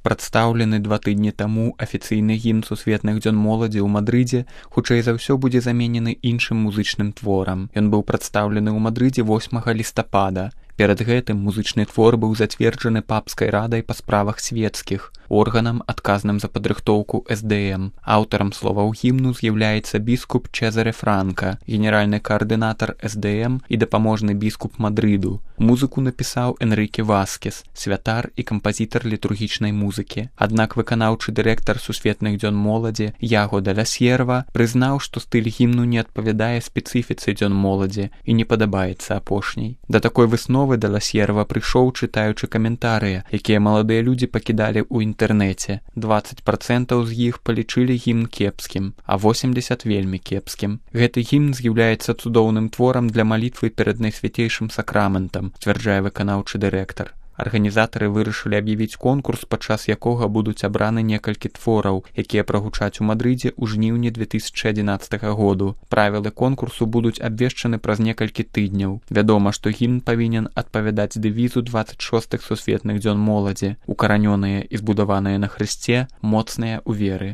Прадстаўлены 2 тыдні таму афіцыйны гімн сусветных дзён моладзі ў Мадрыдзе хутчэй за ўсё будзе заменены іншым музычным творам. Ён быў прадстаўлены ў Мадрыдзе 8 лістапада. Перад гэтым музычны твор быў зацверджаны папскай радай па справах светскіх, органам, адказным за падрыхтоўку СДМ. Аўтарам словаў гімну з'яўляецца біскуп Чезаре Франка, генеральны каардынатар СДМ і дапаможны біскуп Мадрыду. Музыку напісаў Энрыке Васкес, святар і кампазітар літургічнай музыкі. Аднак выканаўчы дырэктар сусветных дзён моладзі Яго де ла Сьерва прызнаў, што стыль гімну не адпавядае спецыфіцы дзён моладзі і не падабаецца апошняй. Да такой высновы де ла Сьерва прыйшоў, чытаючы каментарыі, якія маладыя людзі пакідалі ў інтэрнэце. 20% з іх палічылі гімн кепскім, а 80% вельмі кепскім. Гэты гімн з'яўляецца цудоўным творам для малітвы перад найсвяцейшым сакраментам, сцвярджае выканаўчы дырэктар. Арганізатары вырашылі аб'явіць конкурс, падчас якога будуць абраны некалькі твораў, якія прагучаць у Мадрыдзе ў жніўні 2011 году. Правілы конкурсу будуць абвешчаны праз некалькі тыдняў. Вядома, што гімн павінен адпавядаць дэвізу 26-х сусветных дзён моладзі, укаранёныя і збудаваныя на Хрысце, моцныя ў веры.